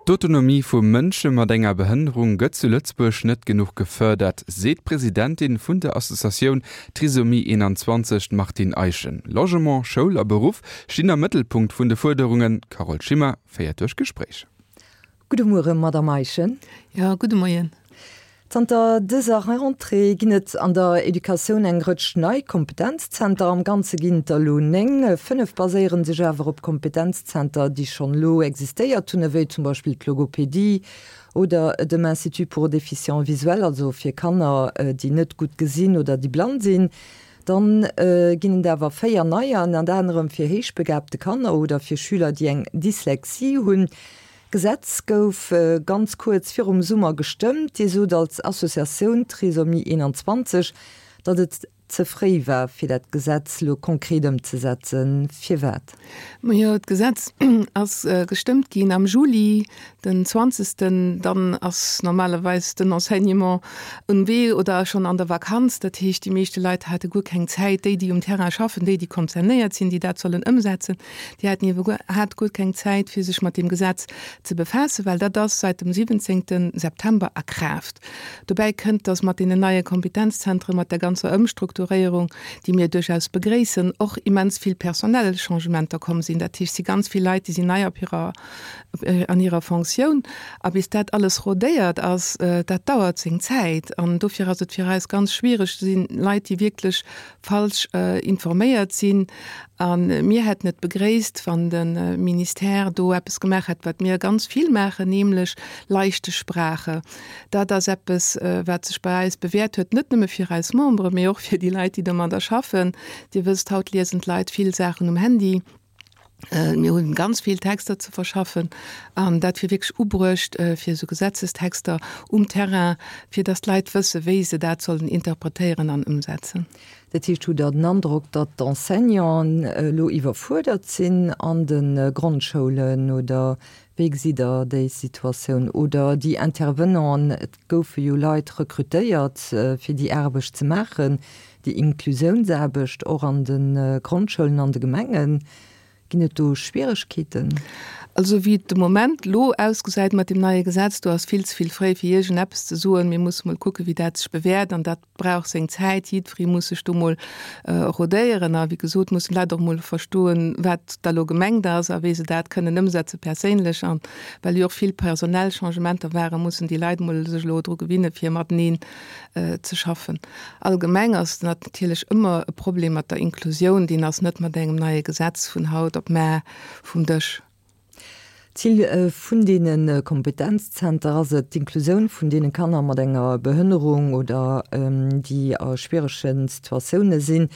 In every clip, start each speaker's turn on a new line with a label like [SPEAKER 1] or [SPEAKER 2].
[SPEAKER 1] D'Autonomie vu Mënsche mat enger Behënnerung gëtt zu Lëtzebuerg net genuch gefërdert, seet d'Presidentin vun der Associatioun Trisomie 21, d'Martine Eischen. Logement, Schoul a Beruff stinn am Mëttelpunkt vun de Fuerderungen. D'Carole Schimmer féiert duerch d'Gespréich.
[SPEAKER 2] Gudde Muere Madamm Eischen.
[SPEAKER 3] Jo, gudde Moien.
[SPEAKER 2] Zanter dëser Rentrée ginn et an der Educatioun eng Rëtsch nei Kompetenzzenter. Am Ganze ginn et der elo 9. 5 baséiere sech awer op Kompetenzzenter, déi schonn elo existéiert hunn, ewéi zum Beispill d'Logopedie oder dem Institut pour déficients visuels, also fir Kanner, déi net gutt gesinn oder déi blann sinn. Dann ginn et awer 4 neier, ënnert anerem fir héichbegaabte Kanner oder fir Schüler, déi eng Dyslexie hunn. D'Gesetz gouf ganz kuerz virum Summer gestëmmt. Dir sot als Associatioun Trisomie 21, datt et ze fréi war, fir dat Gesetz elo konkret ëmzesetzen. Firwat?
[SPEAKER 3] Majo, d'Gesetz ass gestëmmt ginn am Juli, den zwanzegsten. Dann ass normalerweis den Enseignement um Wee oder schonn an der Vakanz. Dat heescht, déi meeschte Leit hate guer keng Zäit, déi, déi um Terrain schaffen, déi, déi concernéiert sinn, déi dat sollen ëmsetzen, Déi haten iwwerhaapt guer keng Zäit, fir sech mat deem Gesetz ze befaassen, well dat ass seit dem 17. September a Kraaft. Dobäi kënnt, dass mat deenen neie Kompetenzzentren, mat der ganzer Ëmstrukturéierung, déi mir duerchaus begréissen, och immens vill personell Changementer komm sinn. Dat heescht, et si ganz vill Leit, déi sinn nei op hirer, an hirer Fonctioun. A bis dat alles rodéiert ass, dat dauert seng Zäit. An dofir ass et fir eis ganz schwiereg. Et si Leit, déi wierklech falsch informéiert sinn. A mir hätten et begréisst, wann de Ministère do eppes gemaach hätt, wat mir ganz vill maachen, nämlech leichte Sprache. Dat ass eppes, wat sech bei eis bewäert huet, net nëmme fir eis Membere, mee och fir déi Leit, déi domadder schaffen. Dir wësst, haut liesen d'Leit vill Saachen um Handy. Mir hunn ganz vill Texter ze verschaffen an dat wier wierklech ubruecht fir esou Gesetzestexter um Terrain, fir datt d'Leit wësse wéi se dat sollen interpretéieren an ëmsetzen.
[SPEAKER 2] Dat heescht, hutt Der den Androck, datt d'Enseignanten elo iwwerfuerdert sinn an de Grondschoulen oder wéi gesitt Der déi Situatioun? Oder déi Intervenanten, et goufe jo Leit rekrutéiert fir déi Aarbecht ze maachen, Déi Inklusiounsaarbecht och an de Grondschoulen an de Gemengen, ginn et do Schwieregkeeten?
[SPEAKER 3] Also wéi et de Moment elo ausgesäit mat deem neie Gesetz, do ass vill ze vill fréi fir iergendeppes ze soen. Mir musse mol kucken, wéi dat sech bewäert an dat brauch seng Zäit. Jiddweree muss sech do mol rodéieren a wéi gesot mussen d'Leit och mol verstoen, wat da lo gemengt ass a wéi se dat kënnen ëmsetze perséinlech. An well jo och vill personell Changementer waren, mussen déi Leit mol sech elo dru gewinne fir mateneen ze schaffen. Allgemeng ass natierlech ëmmer e Problem mat der Inklusioun, deen ass net mat engem neie Gesetz vun haut op mar vum Dësch.
[SPEAKER 2] D'Zil vun deene Kompetenzzenter ass et, d'Inklusioun vun deene Kanner mat enger Behënnerung oder déi a schwierege Situatioune sinn.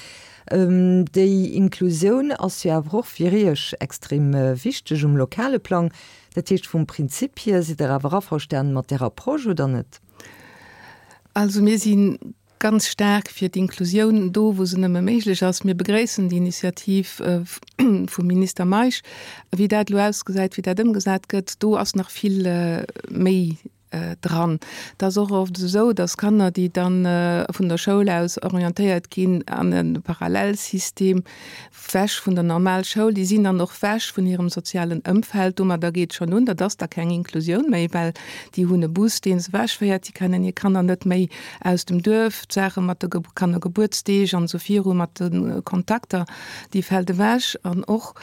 [SPEAKER 2] Déi Inklusioun ass jo awer och fir Iech extrem wichteg um lokale Plang. Dat heescht, vum Prinzip hier sidd Der awer averstanen mat där Approche, oder net?
[SPEAKER 3] Also mir si ganz staark fir d'Inklusioun do, wou se nëmme méiglech ass. Mir begréissen déi Initiativ vum Minister Meisch. Wéi dat elo ausgesäit, wéi dat ëmgesat gëtt, do ass nach vill méi dran. Et ass och oft esou, datt Kanner, déi da vun der Schoul aus orientéiert ginn an e Parallelsystem, Wech vun der normal Schoul, déi sinn dann och wech vun hirem sozialen Ëmfeld. Domadder geet schonn un, dat ass da keng Inklusioun méi, well déi hunn e Bus, dee se wechféiert, déi kennen hir Kanner net méi aus dem Duerf, d'Saache mat de Kannergebuertsdeeg an esou viru, mat de Kontakter, déi fält ewech. An och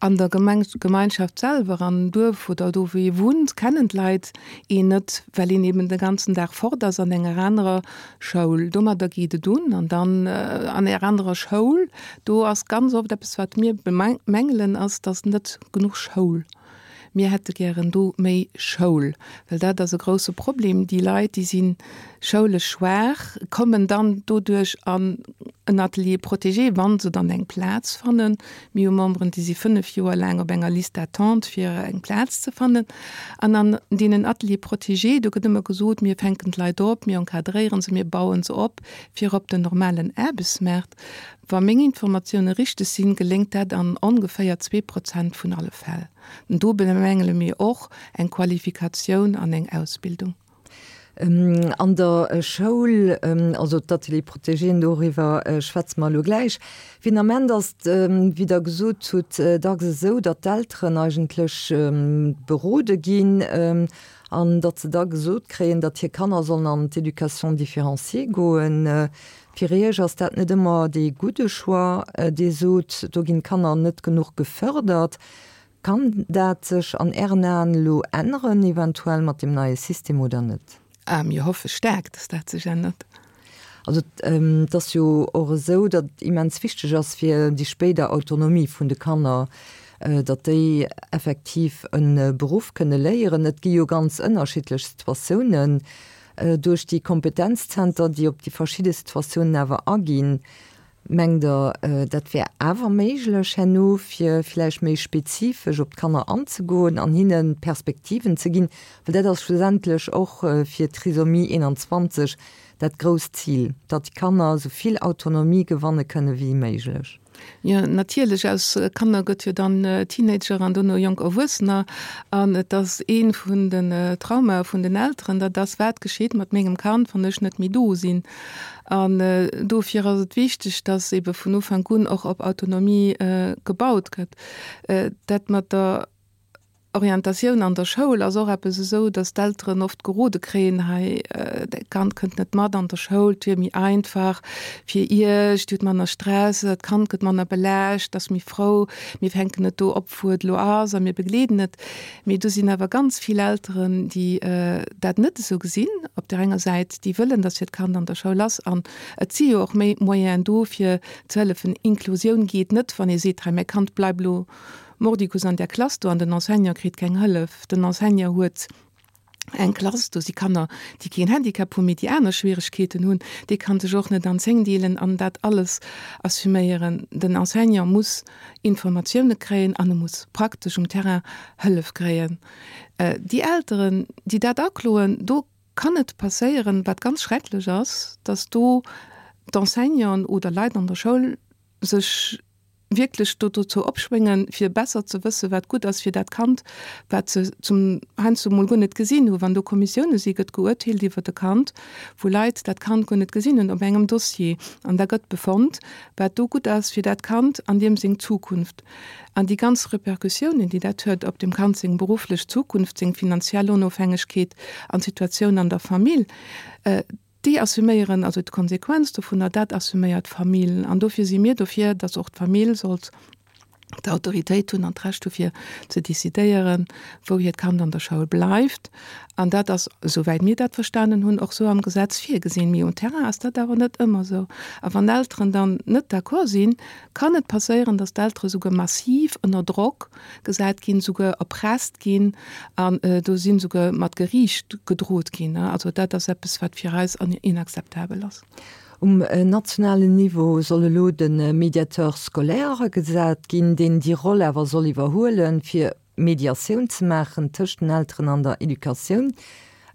[SPEAKER 3] an der Gemeinschaft selwer, am Duerf oder do wou ee wunnt, kennen d'Leit een net, well een eben de ganzen Dag fort ass an enger anerer Schoul. Domadder geet et un. An dann an enger anerer Schoul, do ass ganz oft eppes, wat mir bemängelen, ass, dass net genuch Schoul. Mir hätte gären do méi Schoul, well dat ass e grouse Problem. Déi Leit, déi si schoulesch schwaach, kommen dann doduerch an en Atelier protégé, wa se dann eng Plaz fannen. Mir hu Memberen, déi si 5 Joer laang op enger Liste d'attente, fir eng Plaz ze fannen. An an deenen Ateliers protégés, do gëtt ëmmer gesot, mir fänken d'Leit op, mir encadréieren se, mir bauen se op fir op den normalen Aarbechtsmaart. Wa meng Informatioune richteg sinn, geléngt dat an ongeféier 2% vun alle Fäll. Do bemängele mir och eng Qualifikatioun an eng Ausbildung.
[SPEAKER 2] An der Schoul, also d'Ateliers protégéen, doriwwer schwätze mer elo gläich. Fir den Ament ass et, wéi Der gesot hutt, dacks esou, datt d'Elteren eigentlech berode ginn an datt se da gesot kréien, datt hir Kanner sollen an d'Éducation différenciée goen. Fir Iech ass dat net ëmmer dee gudde Choix. Dir sot, do ginn d'Kanner net genuch gefërdert. Kann dat sech an Ären Aen elo änneren, eventuell mat deem neie System oder net?
[SPEAKER 3] Ah, mir hoffe staark, dass dat sech ännert.
[SPEAKER 2] Also et ass jo och esou, datt et immens wichteg ass fir déi spéider Autonomie vun de Kanner, datt déi effektiv e Beruff kënne léieren. Et gi jo ganz ënnerschiddlech Situatiounen. Duerch déi Kompetenzzenter, déi op déi verschidde Situatiounen awer aginn, Mengt Der, dat wär awer méiglech herno, fir vläicht méi spezifesch op d'Kanner anzegoen an hinne Perspektiven ze ginn? Well dat ass schlussendlech och fir Trisomie 21 dat grousst Zil, datt déi Kanner esou vill Autonomie gewanne kënne wéi méiglech.
[SPEAKER 3] Jo, natierlech. Aus Kanner gëtt jo dann Teenager an dono jonk Erwuessener. An et ass ee vun den Traumae vun den Elteren, dat ass, Wat geschitt mat mengem Kand, wann ech net méi do sinn? An dofir ass et wichteg, dass ebe vun Ufank un och op Autonomie gebaut gëtt. Dat mat der Orientatioun an der Schoul ass och eppes esou, dass d'Elteren oft gerode kréien, hei, däi Kand kënnt net mat an der Schoul, et wier méi einfach fir iech, dir hutt manner Stress, d'Kand gëtt manner belaascht, ass méi frou, mir fänken et do op, wou et elo ass a mir begleeden et. Mee do sinn awer ganz vill Elteren, déi dat net esou gesinn. Op där enger Säit, déi wëllen, datt hiert Kand an der Schoul ass. An et si jo och méi Moyenen do, fir ze hëllefen. Inklusioun geet net, wann ee seet, hei mäi Kand bleibt elo mordicus an där Klass do an den Enseignant kritt keng Hëllef. Den Enseignant huet eng Klass, do si Kanner, déi keen Handicap hunn, mee déi aner Schwieregkeeten hunn. Dee kann sech och net an 10 deelen an dat alles assuméieren. Den Enseignant muss Informatioune kréien an e muss praktesch um Terrain Hëllef kréien. Déi Elteren, déi dat akloen, do kann et passéieren, wat ganz schrecklech ass, dass do d'Enseignanten oder Leit an der Schoul sech wierklech do dozou opschwéngen, fir besser ze wëssen, wat gutt ass fir dat Kand, wat se zum heiansdo mol guer net gesinn hunn. Wann do Kommissioune si gëtt geurteelt iwwert e Kand, wou Leit dat Kand guer net gesinn hunn op engem Dossier. An da gëtt befonnt, wat do gutt ass fir dat Kand an deem seng Zukunft. An déi ganz Repercussiounen, déi dat huet op dem Kand seng berufflech Zukunft, seng finanziell Onofhängegkeet an d'Situatioun an der Famill, Déi assuméieren also d'Konsequenz dovunner, dat assuméiert d'Famill. An dofir si mir dofir, datt och d'Famill sollt d'Autoritéit hunn an d'Recht hu fir ze decidéieren, wou hiert Kand an der Schoul bleift. An dat ass, esouwäit mir dat verstanen hunn, och esou am Gesetz virgesinn. Mee um Terrain ass dat awer net ëmmer esou. A wann Elteren dann net d'accord sinn, kann et passéieren, datt d'Eltere souguer massiv ënner Drock gesat ginn, souguer erpresst ginn an do sinn souguer mat Geriicht gedrot ginn. Also dat ass eppes, wat fir eis inakzeptabel ass.
[SPEAKER 2] Um nationalen Niveau soll elo de Médiateur scolaire agesat ginn, deen déi Roll awer soll iwwerhuelen, fir Mediatioun ze maachen tëscht den Elteren an der Educatioun.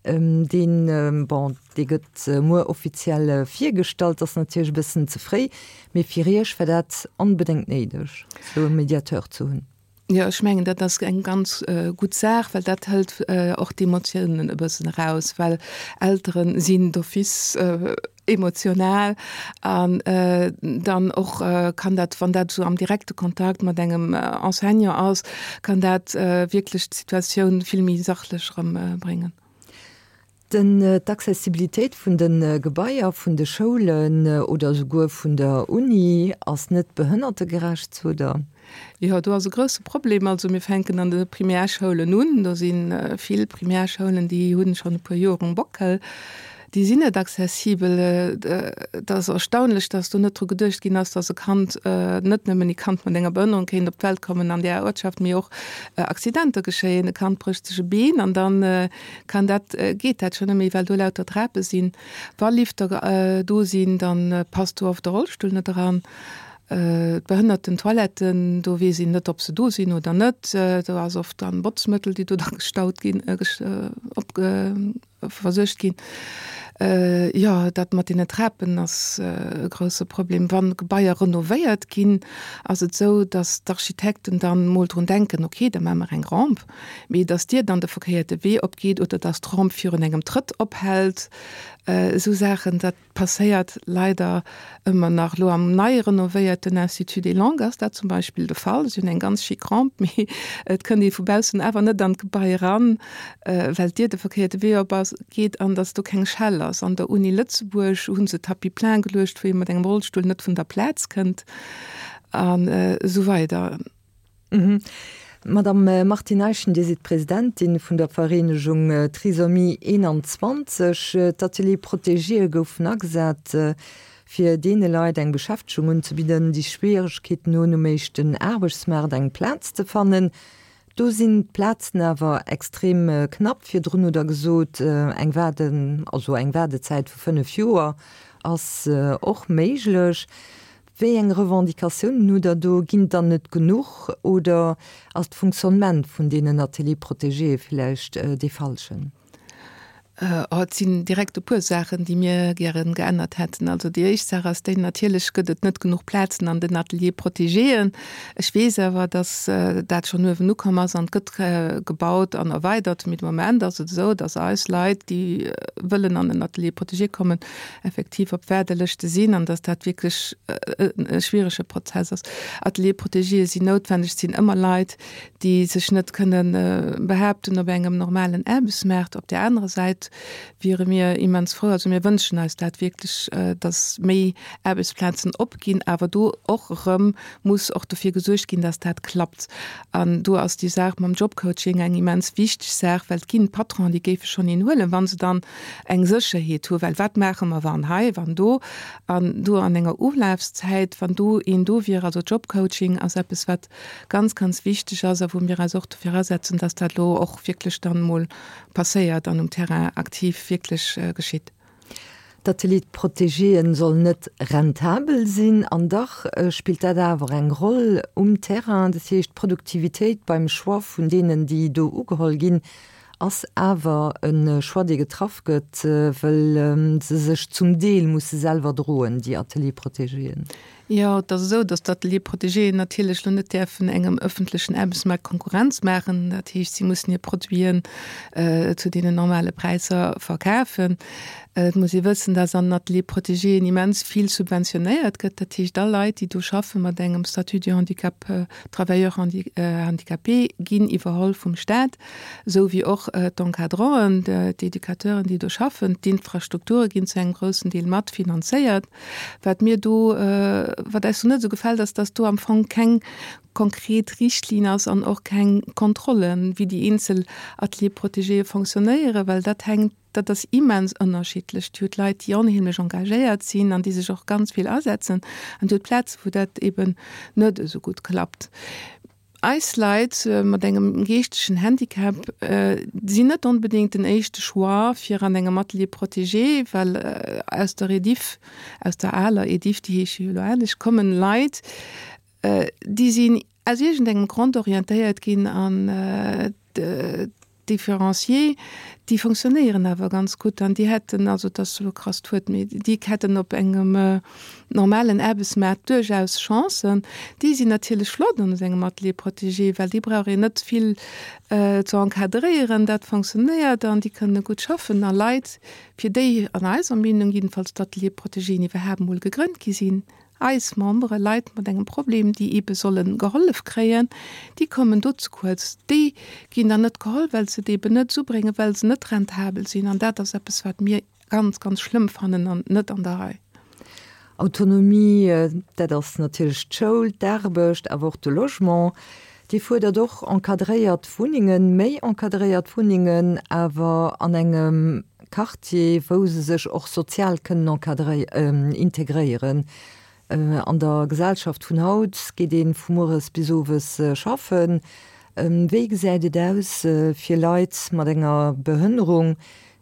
[SPEAKER 2] Deen, bon, dee gëtt muer offiziell virgestallt, ass natierlech e bëssen ze fréi, mee fir Iech war dat onbedéngt néideg, esou e Mediateur ze hunn.
[SPEAKER 3] Jo, ech mengen, dat ass eng ganz gutt Saach, well dat hëlt och d'Emotiounen e bëssen eraus, well Eltere sinn d'office emotional an dann och kann dat, wann dat esou am direkte Kontakt mat engem Enseignant ass, kann dat wierklech d'Situatioun vill méi sachlech erëm bréngen.
[SPEAKER 2] Den, d'Accessibilitéit vun de Gebaier vun de Schoulen oder esouguer vun der Uni ass net behënnertegerecht, sot Der.
[SPEAKER 3] Jo, do ass e grousse Problem. Also mir fänken an de Primärschoulen un. Do si vill Primärschoulen, déi hunn schonn e puer Joer um Bockel. Déi sinn net accessibel. Et ass erstaunlech, dass do net dru geduecht ginn ass, dass e Kand, net nëmmen e Kand mat enger Behënnerung kéint op d'Welt kommen an där Uertschaft, mee och Accidenter geschéien. E Kand brécht sech e Been an da kann dat, geet dat schonn net méi, well do lauter Trape sinn. Wa Lifter do sinn, da passt do oft de Rollstull net eran. D'Behënnertentoiletten, do weess een net, ob se do sinn oder net. Do ass oft dann Botzmëttel, déi do da gestaut ginn, opge versuergt ginn. Jo, dat mat deene Trapen ass e grousse Problem. Wann Gebaier renovéiert ginn, ass et esou, datt d'Architekten dann mol drun denken, ok, da maache mer eng Rampe, mee datt d'Dier dann de verkéierte Wee opgeet oder datt d'Rampe virun engem Trëtt ophält, esou Saachen, dat passéiert leider ëmmer nach. Elo am nei renovéierten Institut des Langues ass dat zum Beispill de Fall. Si hunn eng ganz chic Rampe, mee et kënnt ee vu baussen awer net an d'Gebai eran, well d'Dier de verkéierte Wee op ass, geet an datt do keng Schell ass. An der Uni Lëtzebuerg hu se Tapis plein geluecht, wou ee mat engem Rollstull net vun der Plaz kënnt an esou weider.
[SPEAKER 2] Madame Martine Eischen, Dir sidd Presidentin vun der Vereenegung Trisomie 21. D'Ateliers protégés goufen agesat, fir deene Leit eng Beschäftegung unzebidden, déi Schwieregkeeten hunn, um éischten Aarbechtsmaart eng Plaz ze fannen. Do sinn d'Plazen awer extrem knapp. Virdrun hutt Der gesot, eng Waarde, also eng Waardezäit vu 5 Joer ass och méiglech. Wéi eng Revendicatiounen hutt Der do? Ginn et der net genuch oder ass d'Funktionnement vun deenen Ateliers protégés villäicht dee falschen?
[SPEAKER 3] Oh, et sinn direkt e puer Saachen, déi mir gären geännert hätten. Also déi éischt Saach ass déi, natierlech gëtt et net genuch Plazen an den Ateliers protégéen. Ech weess awer, datt dat schonn uewen ukomm ass an et gëtt gebaut an erweidert. Mee de Moment ass et esou, datt eis Leit, déi wëllen an en Atelier protégé kommen, effektiv op Waardelëschte sinn an dass dat wierklech e schwierege Prozess ass. Ateliers protégés sinn noutwendeg, et sinn ëmmer Leit, déi sech net kënne behaapten op engem normalen Aarbechtsmaart. Op där anerer Säit wiere mir immens frou, also mir wënschen eis dat wierklech, dass méi Aarbechtsplazen opginn, awer do och erëm muss och dofir gesuergt ginn, dass dat klappt. An do ass déi Saach mam Jobcoaching eng immens wichteg Saach, well et ginn Patronen, déi géife schonn een huelen, wa se dann eng Sécherheet hu, well wat maache mer wann hei, wann do an do an enger Ulafszäit, wann do een do wier. Also Jobcoaching ass eppes, wat ganz, ganz wichteg ass a wou mir eis och dofir asetzen, dass dat elo och wierklech dann emol passéiert an um Terrain aktiv wierklech geschitt.
[SPEAKER 2] D'Ateliers protégéen sollen net rentabel sinn, an dach spillt dat awer eng Roll um Terrain. Dat heescht, d'Produktivitéit beim Choix vun deenen, déi do ugeholl ginn, Ass awer e Choix, dee getraff gëtt, wëll se sech zum Deel musse selwer droen, déi Ateliers protégéen.
[SPEAKER 3] Jo, et ass esou, datt d'Ateliers protégéen natierlech elo net däerfen engem ëffentlechen Aarbechtsmaart Konkurrenz maachen. Dat heescht, si mussen hir Produiten zu deenen normale Präisser verkafen. Et muss ee wëssen, datt an den Ateliers protégéen immens vill subventionéiert gëtt. Dat heescht, all Leit, déi do schaffe mat engem Statut du handicap, travailleur handicapé, ginn iwwerholl vum Staat. esou wéi och d'Encadranten, d'Educateuren, déi do schaffen. D'Infrastrukture ginn zu engem groussen Deel mat finanzéiert. Wat mir do, wat eis do net esou gefält, ass, dass do am Fong keng konkret Richtlinn ass an och keng Kontrollen, wéi déi eenzel Ateliers protégéë fonctionnéieren, well dat hänkt, dat ass immens ënnerschiddlech. Dir hutt Leit, déi onheemlech engagéiert sinn an déi sech och ganz vill asetzen, an Dir hutt Plaze wou dat eben net esou gutt klappt. Eis Leit mat engem geeschtegen Handicap sinn net onbedéngt den éischte Choix fir an engem Atelier protégé, well aus der Ediff, aus der aler Ediff, déi heesche jo elo anescht, kommen Leit, déi sinn aus iergendengem Grond orientéiert ginn an D'Differencier, déi fonctionnéieren awer ganz gutt an déi hätten, also et ass elo e krasst Wuert, mee déi hätten op engem normalen Aarbechtsmaart duerchaus Chancen. Déi sinn natierlech flott an esou engem Atelier protégé, well déi brauch een net vill ze encadréieren, dat fonctionnéiert an déi kënne gutt schaffen. A Leit, fir déi an eiser Meenung jiddefalls d'Ateliers protégéen iwwerhaapt emol gegrënnt gi sinn, Eis Membere, Leit mat engem Problem, déi eebe solle gehollef kréien, déi kommen do ze kuerz. Déi ginn dann net geholl, well se et eeben net esubréngen, well se net rentabel sinn. An dat ass eppes, wat mir ganz, ganz schlëmm fannen an net an der Rei.
[SPEAKER 2] Autonomie, dat ass natierlech d'Schoul, d'Aarbecht, awer och de Logement. Dir fuerdert och encadréiert Wunnengen, méi encadréiert Wunnengen, awer an engem Quartier, wou se sech och sozial kënnen integréieren. An der Gesellschaft vun haut geet ee vu mueres bis owes schaffen. Wéi gesäit et aus fir Leit mat enger Behënnerung,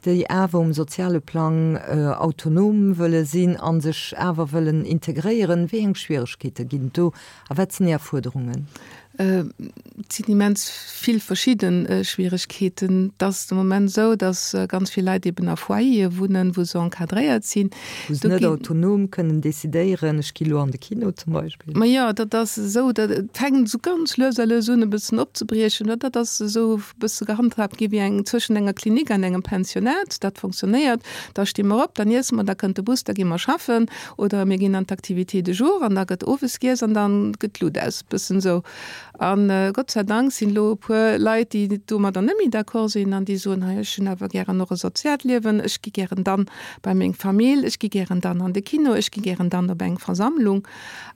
[SPEAKER 2] déi awer um soziale Plang autonom wëlle sinn a sech awer wëllen integréieren? Wéi eng Schwieregkeete ginn et do a wat sinn Är Fuerderungen?
[SPEAKER 3] Et sinn immens vill verschidde Schwieregkeeten. Et ass de Moment esou, datt ganz vill Leit eben a Foyere wunnen, wou se encadréiert sinn.
[SPEAKER 2] Wou se net autonom kënnen decidéieren, ech gi lo an de Kino zum Beispill.
[SPEAKER 3] Ma jo, dat ass esou, dat fänkt esou ganz lues a lues un e bëssen opzebriechen. Dat ass esou e bësse gehandhaabt gi wéi eng zwëschen enger Klinik an engem Pensionnat. Dat fonctionnéiert. Da sti mer op, dann iesse mer, da kënnt de Bus, da gi mer schaffen oder mir ginn an d'Activité de jour an da gëtt owes giess an da gëtt d'Lut aus. Bëssen esou. A Gott sei Dank sinn elo e puer Leit, déi domadder net méi d'accord sinn an déi soen, hei ech hunn awer gären och e soziaalt Liewen, ech gi gären dann bei meng Famill, ech gi gären dann an de Kino, ech gi gären dann op eng Versammlung.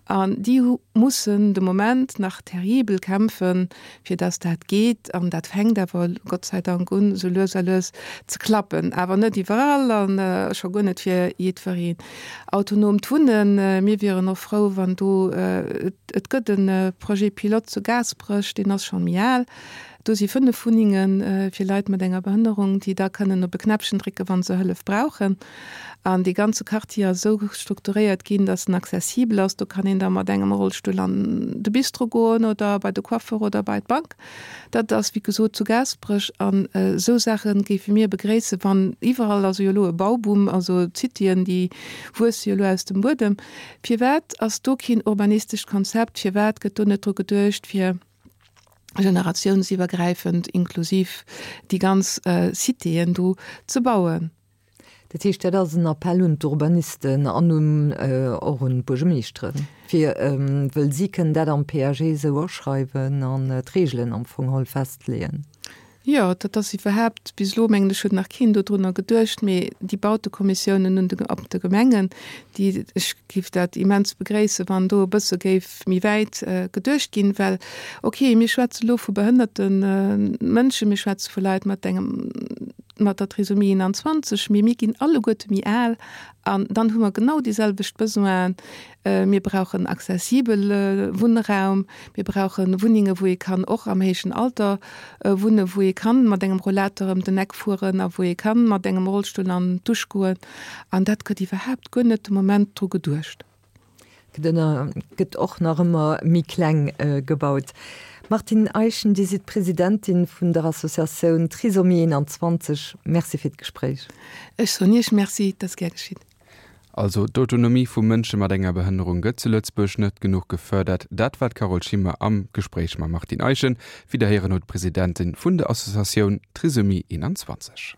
[SPEAKER 3] An déi mussen de Moment nach terribel kämpfen, fir dass dat geet. An dat fänkt awer Gott sei Dank un, esou lues a lues ze klappen. Awer net iwwerall a scho guer net fir jiddwereen. Autonomt Wunnen, mir wieren och frou, wann do, et gëtt e Projet pilote zu Gaasperech, deen ass scho méi al, do si 5 Wunnenge fir Leit mat enger Behënnerung, déi da kënnen op e Knäppchen drécken, wa se Hëllef brauchen. An dee ganze Quartier ass esou strukturéiert ginn, dass en accessibel ass. Do kann een da mat engem Rollstull an de Bistro goen oder bei de Coiffeur oder bei d'Bank. Dat ass, wéi gesot, zu Gaasperech. An esou Saache géife mir begréissen, wann iwwerall, also jo elo e Bauboom, also d'Cityen, déi wuesse jo elo aus dem Buedem. Firwat ass do keen urbanistescht Konzept? Firwat gëtt do net dru geduecht, fir generatiounsiwwergräifend inklusiv déi ganz Citéen do ze bauen?
[SPEAKER 2] Dat heescht, dat ass en Appell un d'Urbanisten an un och un d'Buergermeeschteren, fir, wëll si kënnen dat am PAG esou aschreiwen an d'Reegelen am Fong geholl festleeën.
[SPEAKER 3] Jo, dat ass iwwerhaapt, bis elo mengen ech huet nach keen dodrunner geduecht, mee déi Bautekommissiounen un de, op de Gemengen, déi, ech géif dat immens begréissen, wann do e bësse géif méi wäit geduecht ginn, well okay, mir schwätze elo vu behënnerte Mënschen, mir schwätze vu Leit mat engem, mat der Trisomie 21, mee mir ginn alleguerte méi al an dann hu mer genau déi selwecht Besoinen. Mir brauchen accessibel Wunnraum, mir brauche Wunnenge wou ee kann och am héijen Alter wunnen, wou ee kann mat engem Rollator ëm den Eck fueren a wou ee kann mat engem Rollstull an d'Dusch goen an dat gëtt iwwerhaapt guer net de Moment dru geduecht.
[SPEAKER 2] Gëtt och nach ëmmer méi kleng gebaut. Martine Eischen, Dir sidd Presidentin vun der Associatioun Trisomie 21. Merci fir d'Gespréich.
[SPEAKER 3] Ech soen Iech Merci, et ass gär geschitt.
[SPEAKER 1] Also d'Autonomie vu Mënsche mat enger Behënnerung gëtt zu Lëtzebuerg net genuch gefërdert. Dat war d'Carole Schimmer am Gespréich mam Martine Eischen. Widderhéieren huet d'Presidentin vun der Associatioun Trisomie 21.